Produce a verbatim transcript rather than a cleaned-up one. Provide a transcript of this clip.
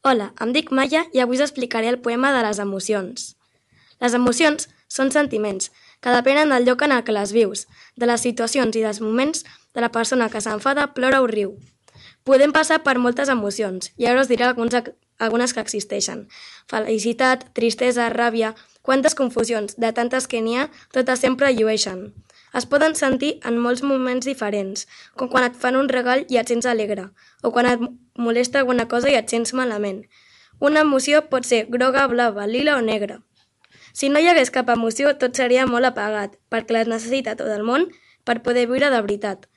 Hola, em dic Maia i avui us explicaré el poema de les emocions. Les emocions són sentiments que depenen del lloc en el que les vius, de les situacions i dels moments de la persona que s'enfada, plora o riu. Podem passar per moltes emocions i ara us diré alguns, algunes que existeixen. Felicitat, tristesa, ràbia, quantes confusions, de tantes que n'hi ha, totes sempre llueixen. Es poden sentir en molts moments diferents, com quan et fan un regal i et sents alegre, o quan et molesta alguna cosa i et sents malament. Una emoció pot ser groga, blava, lila o negra. Si no hi hagués cap emoció, tot seria molt apagat, perquè les necessita tot el món per poder viure de veritat.